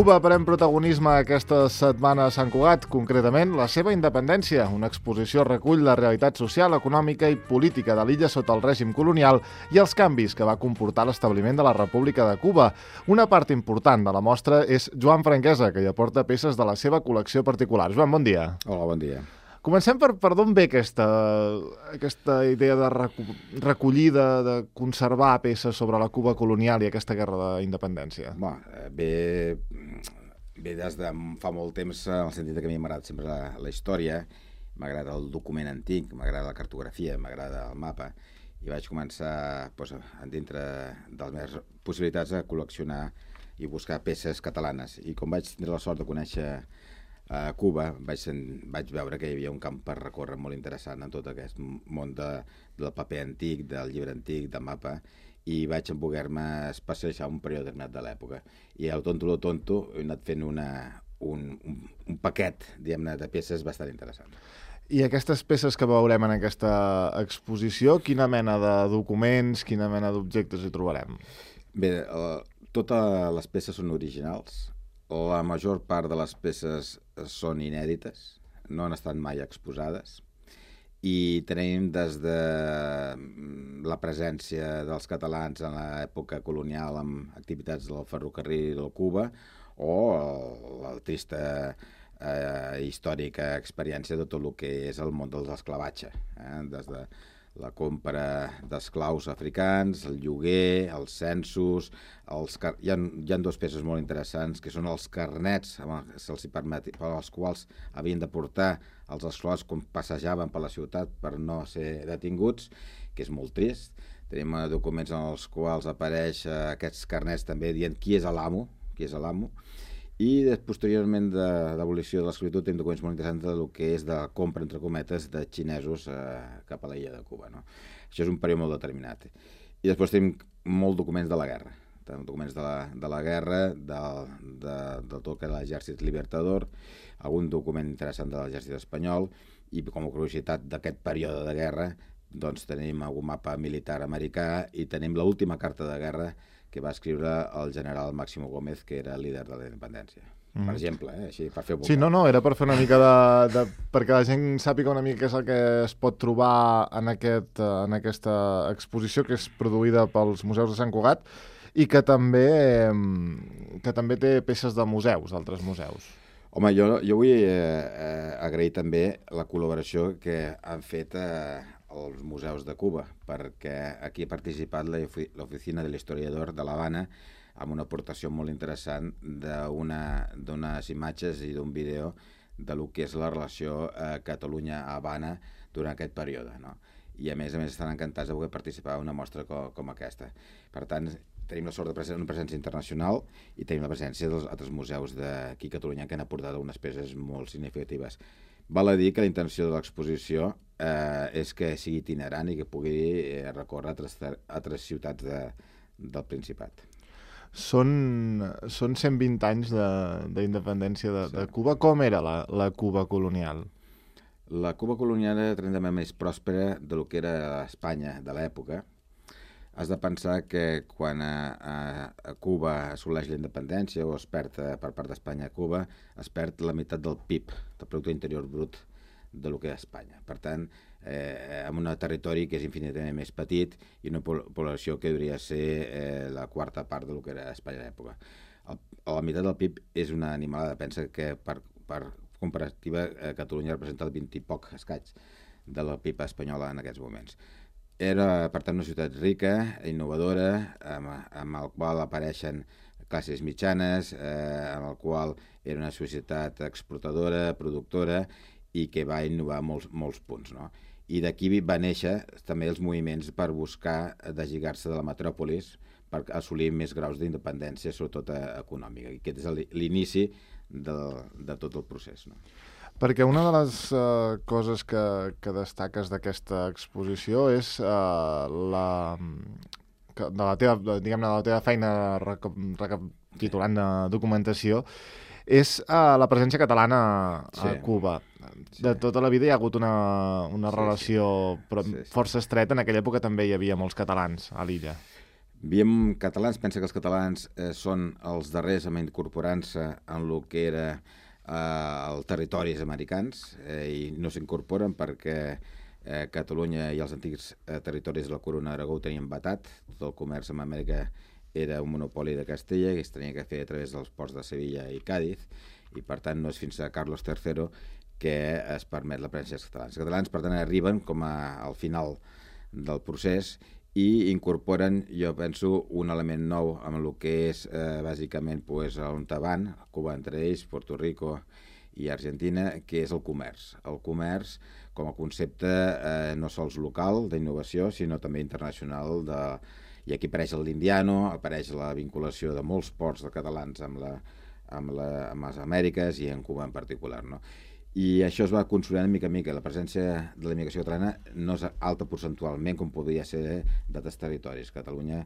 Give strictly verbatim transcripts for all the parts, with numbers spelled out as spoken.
Cuba pren protagonisme aquesta setmana a Sant Cugat, concretament la seva independència. Una exposició recull la realitat social, econòmica i política de l'illa sota el règim colonial i els canvis que va comportar l'establiment de la República de Cuba. Una part important de la mostra és Joan Franquesa, que hi aporta peces de la seva col·lecció particular. Joan, bon dia. Hola, bon dia. Comencem per, per d'on ve aquesta, aquesta idea de recu recollir, de, de conservar peces sobre la Cuba colonial i aquesta guerra d'independència? Bé, ve, ve des de fa molt temps, en el sentit que a mi m'agrada sempre la, la història, m'agrada el document antic, m'agrada la cartografia, m'agrada el mapa, i vaig començar, doncs, dintre de les meves possibilitats, a col·leccionar i buscar peces catalanes. I com vaig tenir la sort de conèixer a Cuba, vaig, vaig veure que hi havia un camp per recórrer molt interessant en tot aquest món de, del paper antic, del llibre antic, del mapa, i vaig voler-me especialitzar un període determinat de l'època. I al tonto lo tonto he anat fent una, un, un, un paquet, diguem-ne, de peces bastant interessant. I aquestes peces que veurem en aquesta exposició, quina mena de documents, quina mena d'objectes hi trobarem? Bé, eh, totes les peces són originals. La major part de les peces són inèdites, no han estat mai exposades, i tenim des de la presència dels catalans en l'època colonial amb activitats del ferrocarril de Cuba o la trista eh, històrica experiència de tot el que és el món dels esclavatge, eh? Des de la compra d'esclaus africans, el lloguer, els censos, els car... hi, ha, hi ha dos peces molt interessants, que són els carnets, se'ls permet, per als quals havien de portar els esclaus quan passejaven per la ciutat per no ser detinguts, que és molt trist. Tenim documents en els quals apareix aquests carnets també dient qui és l'amo, qui és l'amo. I posteriorment de l'abolició de l'esclavitud tenim documents molt interessants del que és de compra, entre cometes, de xinesos eh, cap a l'illa de Cuba. No? Això és un període molt determinat. I després tenim molts documents de la guerra. Tenim documents de la, de la guerra, de, de, de tot que era l'exèrcit libertador, algun document interessant de l'exèrcit espanyol, i com a curiositat d'aquest període de guerra doncs tenim algun mapa militar americà i tenim l'última carta de guerra que va escriure el general Máximo Gómez, que era el líder de la independència. Mm. Per exemple, eh? Així, per fer... Sí, no, no, era per fer una mica de, de... perquè la gent sàpiga una mica què és el que es pot trobar en, aquest, en aquesta exposició que és produïda pels museus de Sant Cugat i que també, que també té peces de museus, d'altres museus. Home, jo, jo vull eh, eh, agrair també la col·laboració que han fet eh, els museus de Cuba, perquè aquí ha participat l'Oficina de l'Historiador de l'Havana amb una aportació molt interessant d'unes imatges i d'un vídeo de lo que és la relació eh, Catalunya-Havana durant aquest període. No? I a més a més estan encantats de poder participar en una mostra com, com aquesta. Per tant, tenim la sort de presència, una presència internacional i tenim la presència dels altres museus d'aquí a Catalunya que han aportat unes peces molt significatives. Val a dir que la intenció de l'exposició eh, és que sigui itinerant i que pugui eh, recórrer a altres, altres ciutats de, del Principat. Són, són cent vint anys d'independència de, de, de Cuba. Com era la, la Cuba colonial? La Cuba colonial era tremendament més pròspera del que era Espanya de l'època. Has de pensar que quan a, a, a Cuba assoleix la independència o es perd per part d'Espanya a Cuba, es perd la meitat del P I B, del Producte Interior Brut, de lo que és Espanya. Per tant, eh, en un territori que és infinitament més petit i una població que hauria de ser eh, la quarta part de lo que era Espanya a l'època. La meitat del P I B és una animalada. Pensa que per, per comparativa eh, Catalunya representa el vint i poc escaig de la P I B espanyola en aquests moments. Era, per tant, una ciutat rica, innovadora, amb, amb el qual apareixen classes mitjanes, eh, amb el qual era una societat exportadora, productora, i que va innovar molts, molts punts. No? I d'aquí va néixer també els moviments per buscar deslligar-se de la metròpolis per assolir més graus d'independència, sobretot econòmica. I aquest és l'inici de, de tot el procés. No? Perquè una de les uh, coses que, que destaques d'aquesta exposició és uh, la, que de la teva, diguem-ne, de la teva feina recapitulant de documentació, és uh, la presència catalana a sí. Cuba. De tota la vida hi ha hagut una, una sí, relació sí. Però sí, sí. força estreta. En aquella època també hi havia molts catalans a l'illa. Veiem catalans, pensa que els catalans eh, són els darrers en incorporant-se en el que era eh, els territoris americans eh, i no s'incorporen perquè eh, Catalunya i els antics eh, territoris de la Corona d'Aragó ho tenien vetat. Tot el comerç amb Amèrica era un monopoli de Castella i es tenia que fer a través dels ports de Sevilla i Càdiz, i per tant no és fins a Carlos tercero que es permet la presència dels catalans. Els catalans, per tant, arriben com a, al final del procés i incorporen, jo penso, un element nou amb el que és eh, bàsicament pues, on van, Cuba entre ells, Puerto Rico i Argentina, que és el comerç. El comerç com a concepte eh, no sols local d'innovació, sinó també internacional. De... I aquí apareix l'Indiano, apareix la vinculació de molts ports de catalans amb, la, amb, la, amb les Amèriques i en Cuba en particular, no? I això es va consolidant mica en mica. La presència de la immigració catalana no és alta percentualment com podria ser d'altres territoris. Catalunya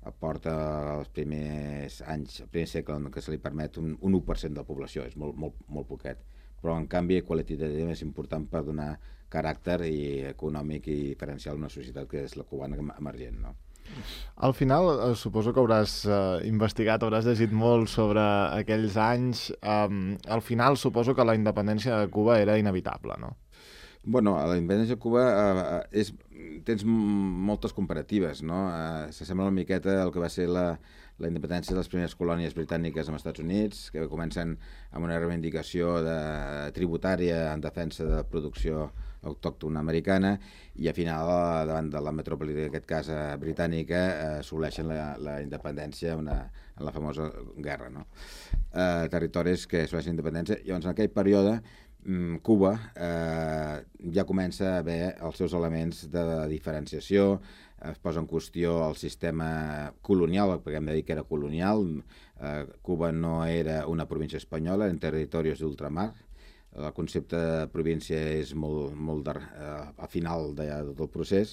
aporta els primers anys, el primer segle en què se li permet un, un u per cent de la població, és molt, molt, molt poquet. Però en canvi qualitativament és important per donar caràcter i econòmic i diferencial a una societat que és la cubana emergent, no? Al final, eh, suposo que hauràs eh, investigat, hauràs llegit molt sobre aquells anys. Um, al final, suposo que la independència de Cuba era inevitable, no? Bueno, a la independència de Cuba eh, és, tens moltes comparatives, no? Eh, S'assembla una miqueta al que va ser la, la independència de les primeres colònies britàniques als Estats Units, que comencen amb una reivindicació de, tributària en defensa de la producció autòctona americana i al final davant de la metròpoli, en aquest cas britànica, eh, assoleixen la, la independència una, en la famosa guerra, no? Eh, territoris que assoleixen independència. Llavors, en aquell període, Cuba eh, ja comença a haver els seus elements de diferenciació, es posa en qüestió el sistema colonial, perquè hem de dir que era colonial. Eh, Cuba no era una província espanyola, eren territoris d'ultramar. El concepte de província és molt, molt de, eh, al final de, de tot el procés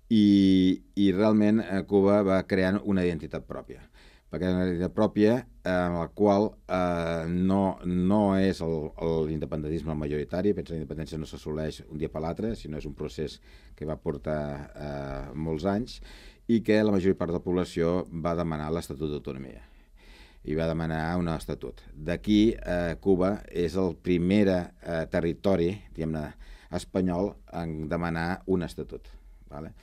i, i realment Cuba va creant una identitat pròpia. Va crear una identitat pròpia en la qual eh, no, no és el, l'independentisme majoritari. Pensa que la independència no s'assoleix un dia per l'altre, sinó és un procés que va portar eh, molts anys i que la major part de la població va demanar l'Estatut d'Autonomia i va demanar un estatut. D'aquí, eh, Cuba és el primer eh, territori, diguem-ne, espanyol en demanar un estatut. Vale?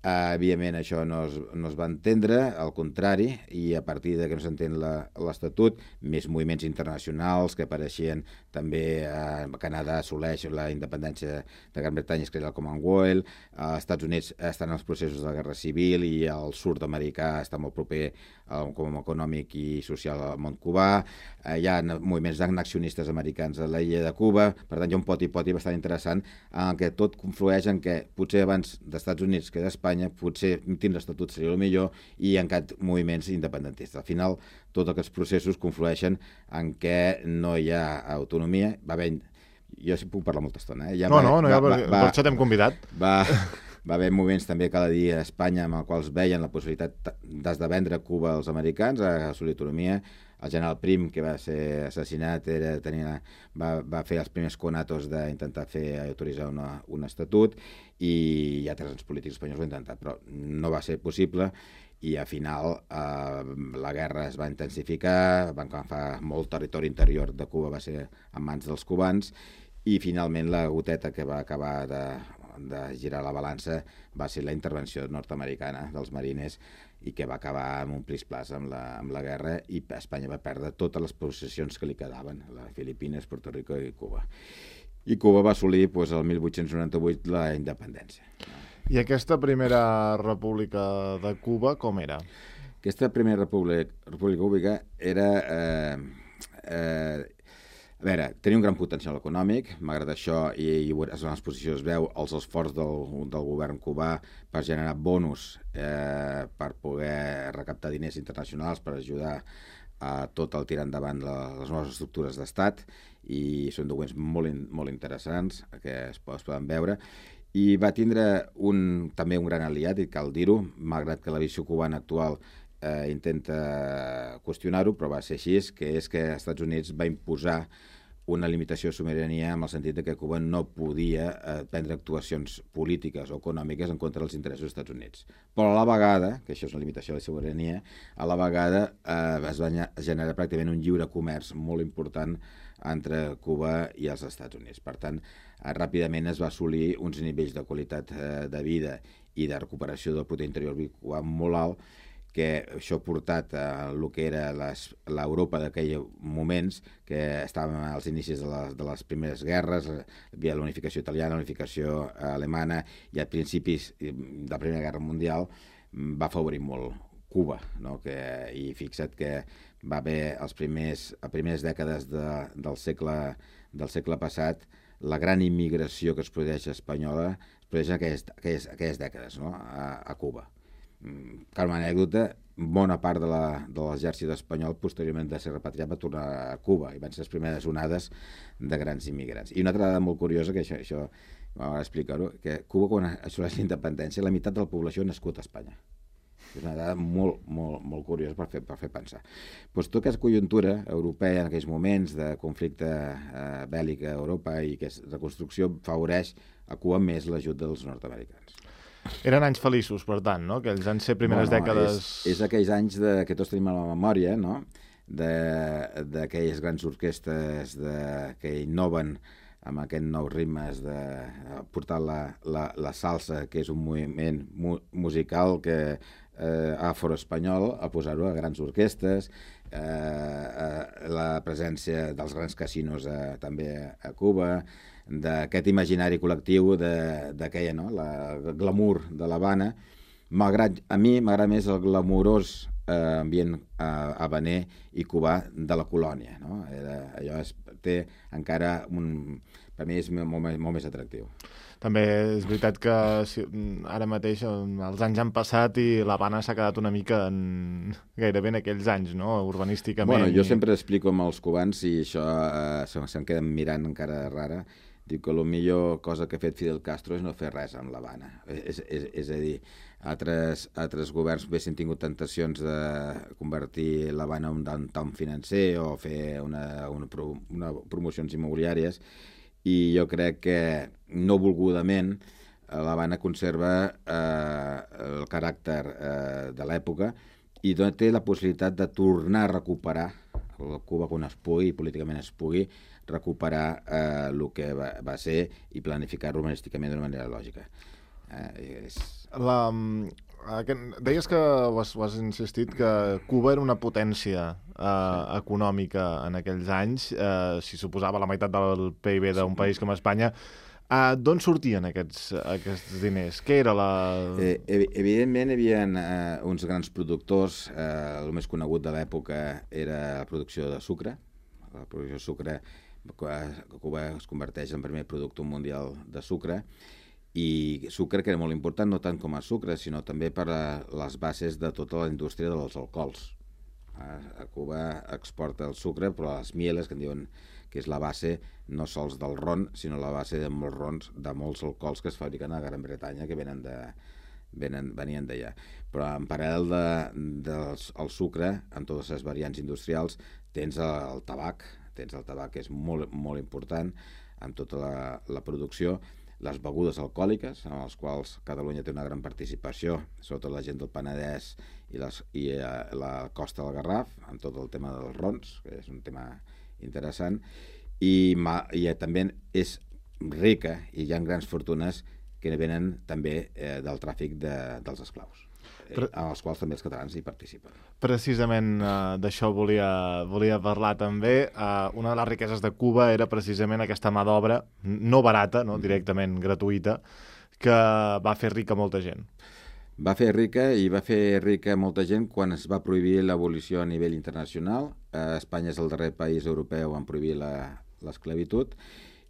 Uh, evidentment això no es, no es va entendre, al contrari, i a partir de que no s'entén l'Estatut, més moviments internacionals que apareixien també, uh, Canadà assoleix la independència de Gran Bretanya, es crea el Commonwealth, als uh, Estats Units estan els processos de la guerra civil i el sud americà està molt proper uh, com econòmic i social al món cubà, uh, hi ha moviments annexionistes americans a l'illa de Cuba, per tant hi ha un poti-poti bastant interessant en què tot conflueix en què potser abans dels Estats Units que d'Espanya potser tindre estatut seria el millor i encara moviments independentistes. Al final, tots aquests processos conflueixen en què no hi ha autonomia. Va haver... Jo sí puc parlar molta estona. Eh? Ja no, va, no, no, va, ja, va, per això t'hem convidat. Va, va haver moments també cada dia a Espanya amb els quals veien la possibilitat des de vendre Cuba als americans a assolir autonomia. El general Prim, que va ser assassinat, era, tenia, va, va fer els primers conatos d'intentar fer autoritzar una, un estatut i hi ha altres polítics espanyols ho han intentat, però no va ser possible i al final eh, la guerra es va intensificar, van agafar molt territori interior de Cuba, va ser en mans dels cubans i finalment la goteta que va acabar de, de girar la balança va ser la intervenció nord-americana dels mariners i que va acabar amb un plis-plas amb, la, amb la guerra i Espanya va perdre totes les possessions que li quedaven, les Filipines, Puerto Rico i Cuba. I Cuba va assolir doncs, el mil vuit-cents noranta-vuit la independència. I aquesta primera república de Cuba com era? Aquesta primera república, república cúbica era... Eh, eh, A veure, tenia un gran potencial econòmic, malgrat això, i, i en les posicions es veu els esforços del, del govern cubà per generar bonus eh, per poder recaptar diners internacionals, per ajudar a tot el tirar endavant la, les noves estructures d'estat, i són documents molt, in, molt interessants que es, es poden veure. I va tindre un, també un gran aliat, i cal dir-ho, malgrat que la visió cubana actual eh, intenta qüestionar-ho, però va ser així, que és que els Estats Units va imposar una limitació de sobirania en el sentit de que Cuba no podia eh, prendre actuacions polítiques o econòmiques en contra dels interessos dels Estats Units. Però a la vegada, que això és una limitació de la sobirania, a la vegada eh, es va generar pràcticament un lliure comerç molt important entre Cuba i els Estats Units. Per tant, eh, ràpidament es va assolir uns nivells de qualitat eh, de vida i de recuperació del producte interior cubà molt alt, que això ha portat a el que era l'Europa d'aquells moments, que estàvem als inicis de les, de les primeres guerres, hi havia la unificació italiana, la unificació alemana, i a principis de la Primera Guerra Mundial va afavorir molt Cuba, no? que, i fixa't que va haver els primers, a primeres dècades de, del, segle, del segle passat, la gran immigració que es produeix espanyola es produeix en aquelles, aquelles, aquelles dècades, no? a, a Cuba. Com a anècdota, bona part de l'exèrcit espanyol posteriorment de ser repatriat va tornar a Cuba i van ser les primeres onades de grans immigrants. I una altra dada molt curiosa, que això, això m'agrada explicar-ho, que Cuba, quan assoleix la independència, la meitat de la població ha nascut a Espanya. És una dada molt, molt, molt curiosa per fer, per fer pensar. Pues tota aquesta conjuntura europea en aquells moments de conflicte eh, bèl·lic a Europa i que la construcció favoreix a Cuba més l'ajut dels nord-americans. Eren anys feliços, per tant, no? Aquells anys ser primeres bueno, dècades... És, és aquells anys de, que tots tenim a la memòria, no? D'aquelles grans orquestes de, que innoven amb aquests nous ritmes de portar la, la, la salsa, que és un moviment mu musical que eh, afroespanyol, a posar-ho a grans orquestes, eh, eh, la presència dels grans casinos eh, també a Cuba, d'aquest imaginari col·lectiu d'aquella, no? La, el glamour de l'Havana. Malgrat, a mi m'agrada més el glamurós eh, ambient eh, habaner i cubà de la colònia, no? Era, allò és, té encara un... Per mi és molt, molt, molt més atractiu. També és veritat que si, ara mateix els anys han passat i l'Havana s'ha quedat una mica en, gairebé en aquells anys, no? Urbanísticament. Bueno, jo i... sempre explico amb els cubans i això eh, se'm queden mirant encara rara. Diu que la millor cosa que ha fet Fidel Castro és no fer res amb l'Havana. És, és, és a dir, altres, altres governs haguessin tingut tentacions de convertir l'Havana en un downtown financer o fer una, una, una promocions immobiliàries, i jo crec que no volgudament l'Havana conserva eh, el caràcter eh, de l'època i té la possibilitat de tornar a recuperar Cuba quan es pugui, políticament es pugui, recuperar eh, el que va, va ser i planificar urbanísticament d'una manera lògica. Eh, és... La, aquest, deies que ho has, ho has insistit que Cuba era una potència eh, sí. econòmica en aquells anys, eh, si suposava la meitat del P I B d'un sí. país com Espanya. Uh, D'on sortien aquests, aquests diners? Què era la... Eh, evidentment hi havia eh, uns grans productors. Eh, el més conegut de l'època era la producció de sucre. La producció de sucre, Cuba es converteix en el primer productor mundial de sucre, i sucre que era molt important no tant com a sucre, sinó també per a les bases de tota la indústria dels alcohols. A Cuba exporta el sucre, però les mieles, que en diuen que és la base no sols del ron, sinó la base de molts rons, de molts alcohols que es fabriquen a Gran Bretanya, que venen de, venen, venien d'allà. Però en paral·lel de, del el sucre, en totes les variants industrials, tens el, el tabac, tens el tabac que és molt, molt important en tota la, la producció, les begudes alcohòliques, en les quals Catalunya té una gran participació, sobretot la gent del Penedès i, les, i eh, la costa del Garraf, en tot el tema dels rons, que és un tema interessant, i, ma, i també és rica, i hi ha grans fortunes que venen també eh, del tràfic de, dels esclaus, eh, Però, en els quals també els catalans hi participen. Precisament eh, d'això volia, volia parlar també. Eh, una de les riqueses de Cuba era precisament aquesta mà d'obra, no barata, no, directament gratuïta, que va fer rica molta gent. Va fer rica i va fer rica molta gent quan es va prohibir l'abolició a nivell internacional. Eh, Espanya és el darrer país europeu en prohibir l'esclavitud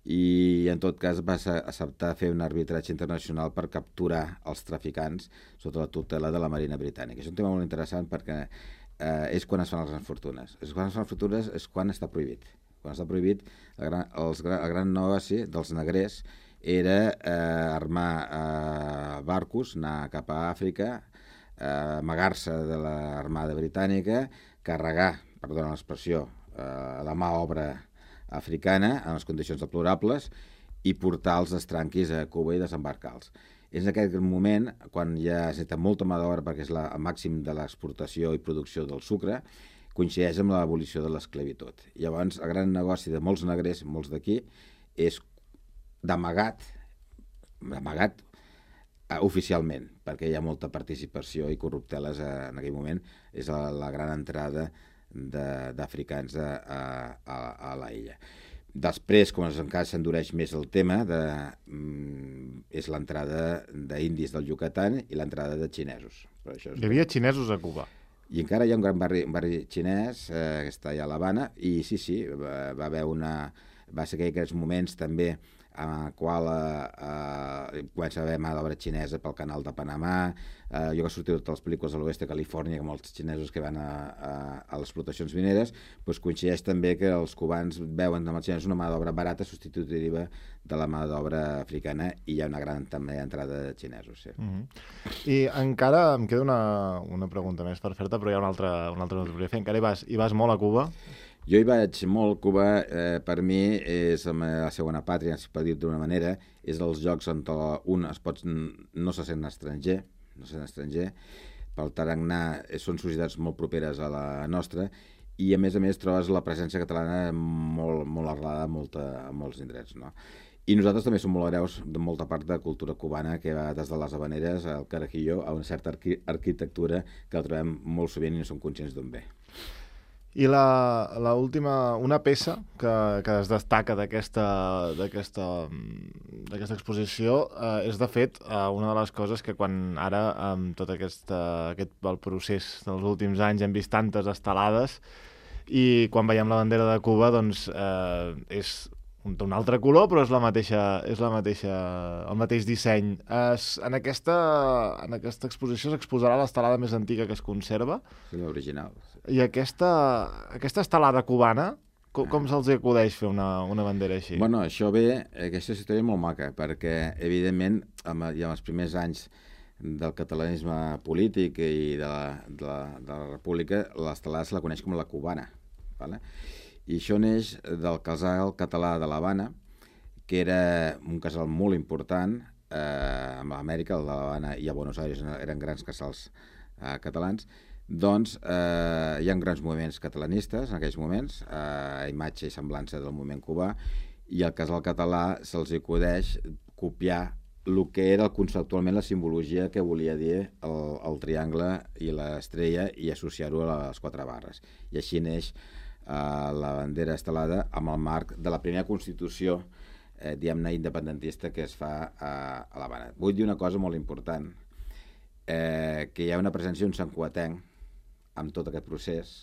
i en tot cas va acceptar fer un arbitratge internacional per capturar els traficants sota la tutela de la Marina Britànica. És un tema molt interessant perquè eh, és quan es fan les grans fortunes. És quan es fan les fortunes és quan està prohibit. Quan està prohibit, el gran, els, el gran negoci dels negrers era eh, armar eh, barcos, anar cap a Àfrica, eh, amagar-se de l'armada britànica, carregar, perdona l'expressió, eh, la mà obra africana en les condicions deplorables i portar els estranquis a Cuba i desembarcar-los. És en aquest moment, quan ja es necessita molta mà d'obra perquè és la, el màxim de l'exportació i producció del sucre, coincideix amb l'abolició de l'esclavitud. Llavors, el gran negoci de molts negrers, molts d'aquí, és d'amagat, d'amagat eh, oficialment, perquè hi ha molta participació i corrupteles eh, en aquell moment. És la, la gran entrada d'africans a, a, a la illa. Després, com encara s'endureix més el tema, de, mm, és l'entrada d'indis del Yucatán i l'entrada de xinesos. Per això és... Hi havia xinesos a Cuba. I encara hi ha un gran barri, un barri xinès eh, que està allà a l'Havana, i sí, sí, va, va haver una... va ser aquells moments també en el qual eh, eh, comença a haver mà d'obra xinesa pel canal de Panamà. Eh, jo que he sortit de totes les pel·lícules de l'oest de Califòrnia, com els xinesos que van a, a, a les explotacions mineres, doncs coincideix també que els cubans veuen amb els xinesos una mà d'obra barata substitutiva de la mà d'obra africana, i hi ha una gran també entrada de xinesos. Sí. Mm-hmm. I encara em queda una, una pregunta més per fer-te, però hi ha una altra, una altra que fer. Encara hi vas, hi vas molt a Cuba? Jo hi vaig molt. Cuba, eh, per mi, és la segona pàtria, si pot dir d'una manera, és dels llocs on un es pot, no se sent estranger, no se sent estranger, pel tarannà són societats molt properes a la nostra, i a més a més trobes la presència catalana molt, molt arrelada a, molta, a molts indrets, no? I nosaltres també som molt hereus de molta part de cultura cubana, que va des de les habaneres al carajillo a una certa arqui arquitectura que la trobem molt sovint i no som conscients d'on ve. I la, la última, una peça que, que es destaca d'aquesta d'aquesta d'aquesta exposició eh, és, de fet, eh, una de les coses que quan ara, amb tot aquesta, aquest el procés dels últims anys, hem vist tantes estelades, i quan veiem la bandera de Cuba, doncs eh, és un, un altre color, però és la mateixa, és la mateixa, el mateix disseny. Es, en, aquesta, en aquesta exposició s'exposarà l'estelada més antiga que es conserva. Sí, l'original. I aquesta, aquesta estelada cubana, com, com se'ls acudeix fer una, una bandera així? Bueno, això ve, aquesta història és molt maca, perquè, evidentment, amb, ja en els primers anys del catalanisme polític i de la, de la, de la república, l'estelada se la coneix com la cubana, ¿vale? I això neix del casal català de l'Havana, que era un casal molt important eh, a Amèrica, el de l'Havana i a Buenos Aires eren grans casals eh, catalans. Doncs eh, hi ha grans moviments catalanistes en aquells moments, eh, imatge i semblança del moviment cubà, i al casal català se'ls acudeix copiar el que era conceptualment la simbologia que volia dir el, el triangle i l'estrella, i associar-ho a les quatre barres. I així neix Uh, la bandera estelada amb el marc de la primera Constitució eh, diguem-ne independentista que es fa a, a l'Havana. Vull dir una cosa molt important, eh, que hi ha una presència d'un santcugatenc amb tot aquest procés.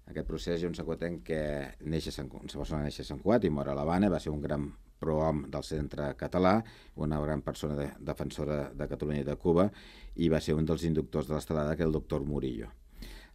En aquest procés hi ha un santcugatenc que neix a Sant, una persona neix a Sant Cugat i mor a l'Havana, va ser un gran prohom del centre català, una gran persona de, defensora de Catalunya i de Cuba, i va ser un dels inductors de l'estelada, que és el doctor Murillo.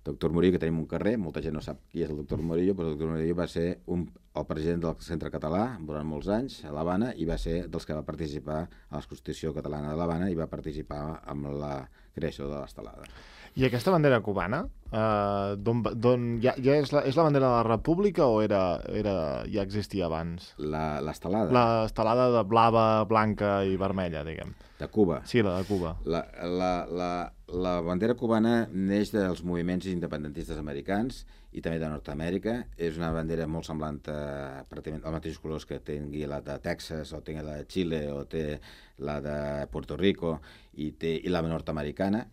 Doctor Murillo, que tenim un carrer, molta gent no sap qui és el doctor Murillo, però el doctor Murillo va ser un, el president del Centre Català durant molts anys a l'Havana, i va ser dels que va participar a la Constitució Catalana de l'Havana i va participar amb la creació de l'estelada. I aquesta bandera cubana, eh, don, don, ja, ja és, la, és la bandera de la República o era, era, ja existia abans? L'estelada? L'estelada de blava, blanca i vermella, diguem. De Cuba? Sí, la de Cuba. La, la, la, la bandera cubana neix dels moviments independentistes americans i també de Nord-Amèrica. És una bandera molt semblant a pràcticament els mateixos colors que tingui la de Texas, o tingui la de Xile, o té la de Puerto Rico, i, té, i la nord-americana,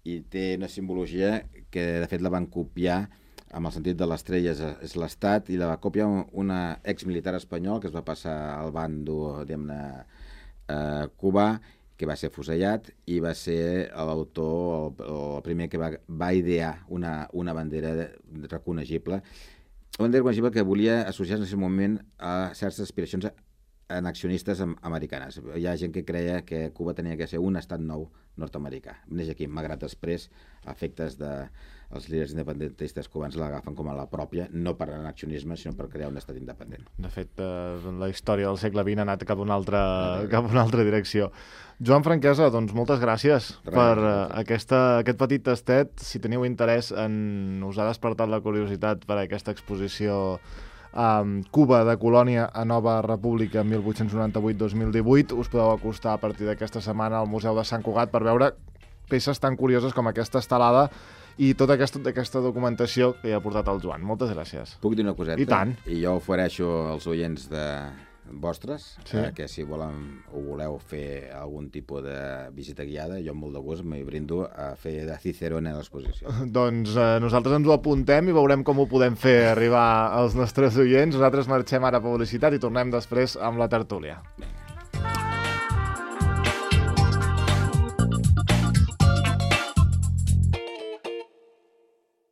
i té una simbologia que de fet la van copiar amb el sentit de l'estrella és l'estat, i la va copiar una exmilitar espanyol que es va passar al bando, diguem-ne, eh, cubà, que va ser fusellat, i va ser l'autor, el, el primer que va, va idear una, una bandera reconegible, una bandera reconegible que volia associar-se en aquest moment a certes aspiracions annexionistes americanes. Hi ha gent que creia que Cuba tenia que ser un estat nou nord-americà. Neix aquí, malgrat després, a efectes de els líders independentistes cubans l'agafen com a la pròpia, no per annexionisme, sinó per crear un estat independent. De fet, eh, la història del segle vint ha anat cap a una altra, cap a una altra direcció. Joan Franquesa, doncs moltes gràcies Res, per uh, aquesta, aquest petit tastet. Si teniu interès en us ha despertat la curiositat per aquesta exposició um, Cuba de colònia a nova república mil vuit-cents noranta-vuit a dos mil divuit. Us podeu acostar a partir d'aquesta setmana al Museu de Sant Cugat per veure peces tan curioses com aquesta estelada i tota aquesta, aquesta documentació que hi ha portat el Joan. Moltes gràcies. Puc dir una coseta? I tant. I jo ofereixo als oients de vostres, sí. eh, que si volen o voleu fer algun tipus de visita guiada, jo amb molt de gust m'hi brindo a fer de Cicerone a l'exposició. Doncs eh, nosaltres ens ho apuntem i veurem com ho podem fer arribar als nostres oients. Nosaltres marxem ara a publicitat i tornem després amb la tertúlia. Vinga.